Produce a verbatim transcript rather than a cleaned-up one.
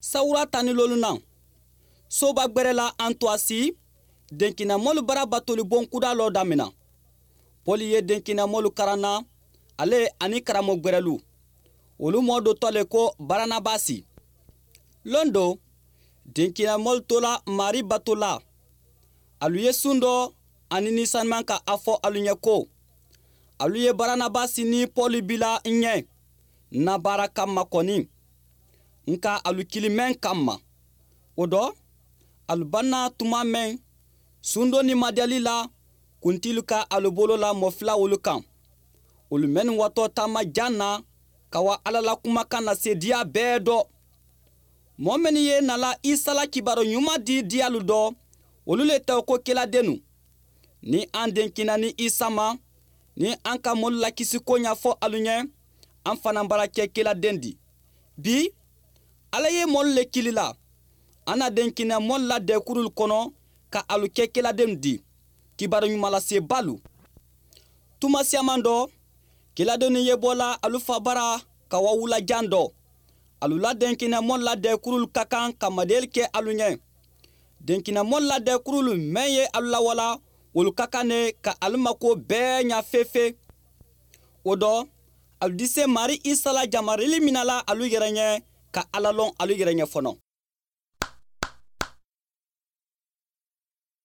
Sawura tani lolu na. Soba gbere la antuwasi denkinamolu bara batoli bonkuda lo damina. Poli ye denkinamolu karanna, ale ani karamo gberelu. Wolu moo do to le ko baranabasi. Londo denkinamolu tola mari batola. Alu ye sundo ani ni saniman ka a fo alu ɲe ko, alu ye baranabasi ni poli bila n ɲe n na baara kamma koni. N ka alu kili meŋ kamma. Wo do, alu banna tuma meŋ, sundo ni madiyali la kuntilu ka alu bolo la mo fula wolu kaŋ. Wolu mennu wato taama jaŋ na ka wa alla la kumakaŋ na seediya bee do. Moo mennu ye nala isa la kibaro ɲuma di diyalu do, wolu le tewo ko kiladenu. Ni an denkina ni isa ma, ni an ka molu lakisi ko ɲa fo alu ɲe, an fanaŋ bara ke kiladen di. Bi, alla ye molu le kili la, an na denkina molu la dekurulu kono ka alu ke kiladenu di, kibaro ɲuma lase balu. Tuma siyaman do, kiladenu ye bo la alu fa bara ka wa wula jaŋ do. Alu la denkinamolu la deekurulu ka kaŋ ka madeyelu ke alu ɲe. Denkinamolu la deekurulu meŋ ye alu lawala, wolu ka kaŋ ne ka alu makuwo bee ɲa feefee. Wo do, alu dise mari isa la jamarili mina la alu yere ɲe, ka alla loŋ alu yere ɲe fono.